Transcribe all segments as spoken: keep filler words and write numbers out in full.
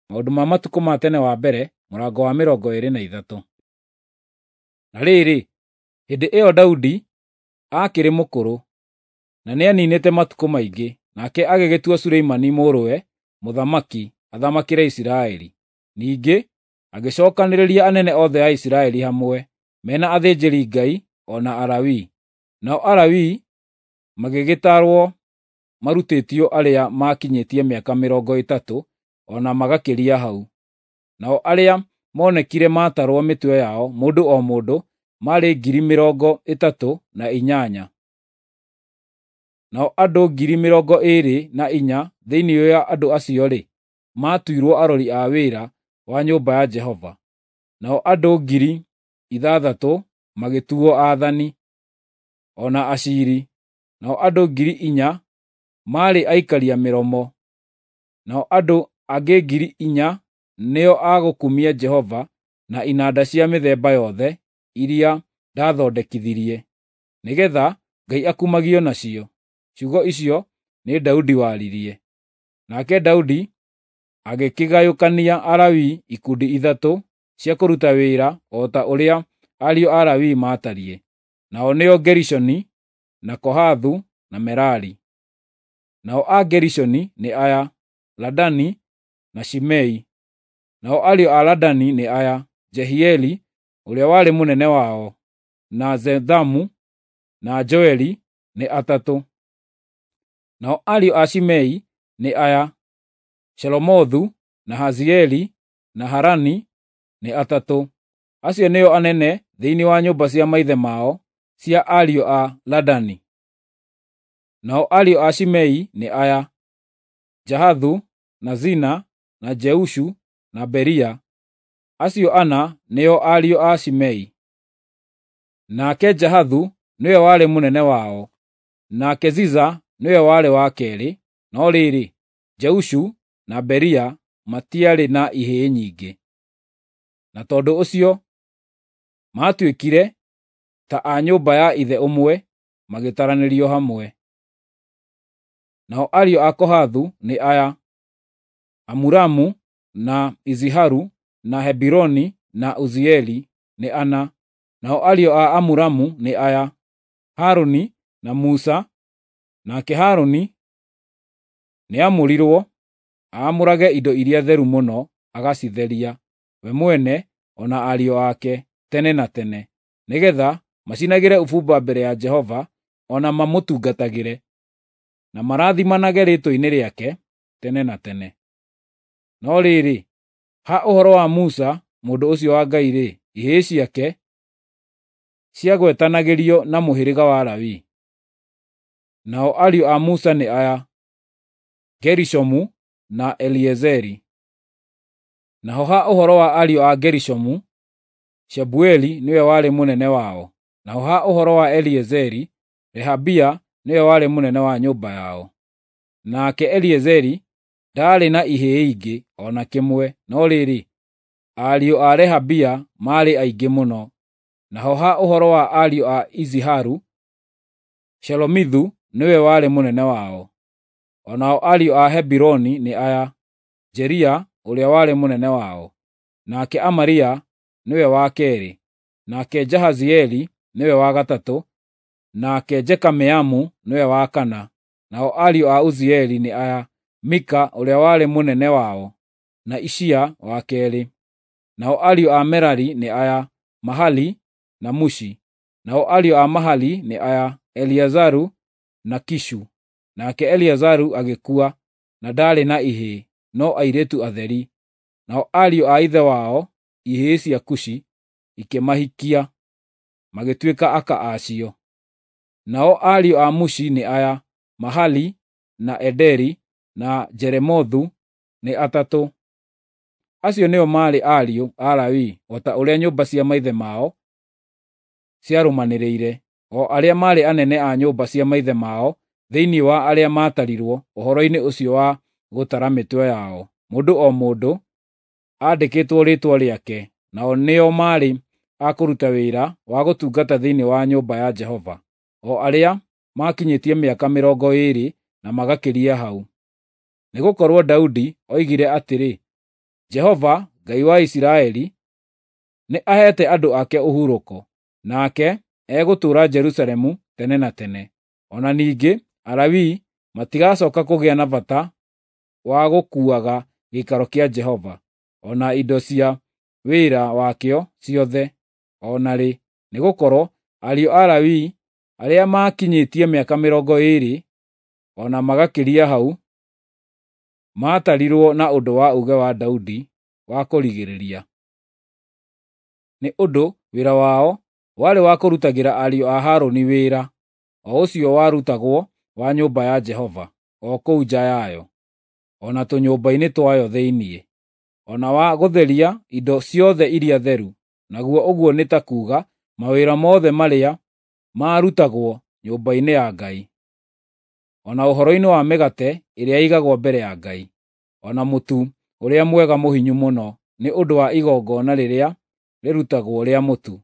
Maũndũ ma Matukũ ma Tene wa mbere mũrango wa mĩrongo ĩĩrĩ na ithatũ. Na rĩrĩ, hĩndĩ ĩyo Daudi aakĩrĩ mũkũrũ, na nĩaniinĩte matukũ maingĩ, nake agĩgĩtua Suleimani mũrũwe mũthamaki athamakĩre Isiraeli. Ningĩ agĩcokanĩrĩria anene othe a Isiraeli hamwe, me na athĩnjĩri-Ngai o na Alawii. Nao Alawii magĩgĩtarwo marutĩtio arĩa maakinyĩtie mĩaka mĩrongo ĩtatũ o na magakĩria hau. Nao arĩa moonekire maatarwo mĩtwe yao, mũndũ o mũndũ, maarĩ ngiri mĩrongo ĩtatũ na inyanya. Nao andũ ngiri mĩrongo ĩĩrĩ na inya thĩinĩ wa andũ acio-rĩ, maatuirwo arori a wĩra wa nyũmba ya Jehova. Nao andũ ngiri ithathatũ magĩtuo aathani, o na aciiri. Nao andũ ngiri inya maarĩ aikaria mĩromo. Nao andũ angĩ ngiri inya nĩo a gũkumia Jehova na inanda cia mĩthemba yothe iria ndathondekithirie, nĩgeetha Ngai akumagio nacio. Ciugo icio nĩ Daudi waririe. Nake Daudi agĩkĩgayũkania Alawii ikundi ithatũ cia kũruta wĩra o ta ũrĩa ariũ a Lawi maatariĩ, nao nĩo Gerishoni, na Kohathu na Merari. Nao a Gerishoni nĩ aya: Ladani na Shimei. Nao ariũ a Ladani nĩ aya: Jehieli ũrĩa warĩ mũnene wao, na Zethamu na Joeli, nĩ atatũ. Nao ariũ a Shimei nĩ aya: Shelomothu na Hazieli na Harani, nĩ atatũ. Acio nĩo anene thĩinĩ wa nyũmba cia maithe mao cia ariũ a Ladani. Nao ariũ a Shimei nĩ aya: Jahathu, na Zina, na Jeushu na Beria. Acio ana nĩo ariũ a Shimei. Nake Jahathu nĩwe warĩ mũnene wao, nake Ziza nĩwe warĩ wa keerĩ, no rĩrĩ, Jeushu na Beria matiarĩ na ihĩĩ nyingĩ, na tondũ ũcio maatuĩkire ta a nyũmba ya ithe ũmwe magĩtaranĩrio hamwe. Nao ariũ a Kohathu nĩ aya: Amuramu, na Iziharu, na Hebironi, na Uzieli, nĩ ana. Nao ariũ a Amuramu nĩ aya: Harũni na Musa. Nake Harũni nĩamũrirwo aamũrage indo iria theru mũno agacitheria, we mwene o na ariũ ake, tene na tene, nĩgeetha macinagĩre ũbumba mbere ya Jehova o na mamũtungatagĩre, na marathimanage rĩĩtwa-inĩ rĩake tene na tene. No rĩrĩ, ha ũhoro wa Musa mũndũ ũcio wa Ngai-rĩ, ihĩĩ ciake ciagwetanagĩrio na mũhĩrĩga wa Lawi. Nao ariũ a Musa nĩ aya: Gerishomu na Eliezeri. Naho ha ũhoro wa ariũ a Gerishomu, Shebueli nĩwe warĩ mũnene wao. Naho ha ũhoro wa Eliezeri, Rehabia nĩwe warĩ mũnene wa nyũmba yao. Nake Eliezeri ndaarĩ na ihĩĩ ingĩ o na kĩmwe, no rĩrĩ, ariũ a Rehabia maarĩ aingĩ mũno. Naho ha ũhoro wa ariũ a Iziharu, Shelomithu nĩwe warĩ mũnene wao. O nao ariũ a Hebironi nĩ aya: Jeria ũrĩa warĩ mũnene wao, nake Amaria nĩwe wa keerĩ, nake Jahazieli nĩwe wa gatatũ, nake Jekameamu nĩwe wa kana. Nao ariũ a Uzieli nĩ aya: Mika ũrĩa warĩ mũnene wao, na Ishia wa keerĩ. Nao ariũ a Merari nĩ aya: Mahali na Mushi. Nao ariũ a Mahali nĩ aya: Eleazaru na Kishu. Nake Eleazaru agĩkua, na ndaarĩ na ihĩĩ, no airĩtu atheri. Nao ariũ a ithe wao, ihĩĩ cia Kushi, ikĩmahikia, magĩtuĩka aka a cio. Nao ariũ a Mushi nĩ aya: Mahali, na Ederi, na Jeremothu, nĩ atatũ. Acio nĩo maarĩ ariũ a Lawi o ta ũrĩa nyũmba cia maithe mao ciarũmanĩrĩire, o arĩa maarĩ anene a nyũmba cia maithe mao thĩinĩ wa arĩa maatarirwo ũhoro-inĩ ũcio wa gũtara mĩtwe yao, mũndũ o mũndũ aandĩkĩtwo rĩĩtwa rĩake, nao nĩo maarĩ a kũruta wĩra wa gũtungata thĩinĩ wa nyũmba ya Jehova, o arĩa maakinyĩtie mĩaka mĩrongo ĩĩrĩ na magakĩria hau. Nĩgũkorwo Daudi oigire atĩrĩ, Jehova, Ngai wa Isiraeli, nĩ aheete andũ ake ũhurũko, nake egũtũũra Jerusalemu tene na tene. O na ningĩ Alawii matigacoka kũgĩa na bata wa gũkuuaga gĩikaro kĩa Jehova, o na indo cia wĩra wakĩo ciothe o na rĩ, nĩgũkorwo ariũ a Lawi arĩa maakinyĩtie mĩaka mĩrongo ĩĩrĩ o na magakĩria hau maatarirwo na ũndũ wa uuge wa Daudi wa kũrigĩrĩria. Nĩ ũndũ wĩra wao warĩ wa kũrutagĩra ariũ a Harũni wĩra, o ũcio warutagwo wa nyũmba ya Jehova, o kũu nja yayo, o na tũnyũmba-inĩ twayo thĩinĩ, o na wa gũtheria indo ciothe iria theru, naguo ũguo nĩ ta kuuga mawĩra mothe marĩa maarutagwo nyũmba-inĩ ya Ngai, o na ũhoro-inĩ wa mĩgate ĩrĩa ĩigagwo mbere ya Ngai, o na mũtu ũrĩa mwega mũhinyu mũno nĩ ũndũ wa igongona rĩrĩa rĩrutagwo rĩa mũtu,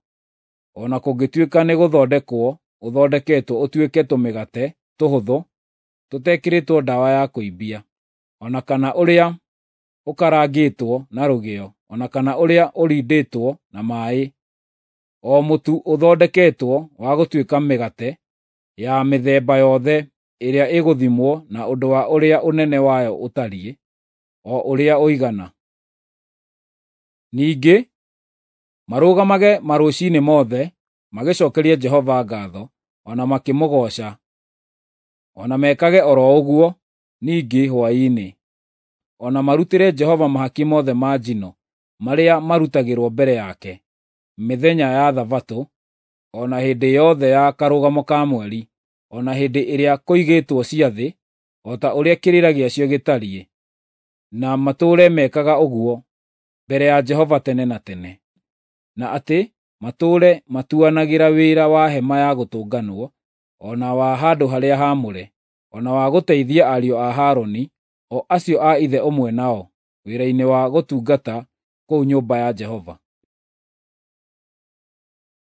o na kũngĩtuĩka nĩgũthondekwo ũthondeketwo ũtuĩke tũmĩgate tũhũthũ tũtekĩrĩtwo ndawa ya kũimbia, o na kana ũrĩa ũkarangĩtwo na rũgĩo, o na kana ũrĩa ũrindĩtwo na maaĩ, o mũtu ũthondeketwo wa gũtuĩka mĩgate ya mĩthemba yothe ĩrĩa ĩgũthimwo na ũndũ wa ũrĩa ũnene wayo ũtariĩ, o ũrĩa ũigana. Ningĩ marũgamage marũciinĩ mothe magĩcookeria Jehova ngaatho, o na makĩmũgooca, o na mekage o ro ũguo ningĩ hwaĩ-inĩ, o na marutĩre Jehova mahaki mothe ma njino marĩa marutagĩrwo mbere yake, mĩthenya ya Thabatũ, o na hĩndĩ yothe ya Karũgamo ka Mweri, o na hĩndĩ ĩrĩa kũigĩtwo ciathĩ, o ta ũrĩa kĩrĩra gĩacio gĩtariĩ, na matũũre mekaga ũguo mbere ya Jehova tene na tene, na atĩ matũũre matuanagĩra wĩra wa hema ya gũtũnganwo, o na wa handũ-harĩa-haamũre, o na wa gũteithia ariũ a Harũni, o acio a ithe ũmwe nao, wĩra-inĩ wa gũtungata kũu nyũmba ya Jehova.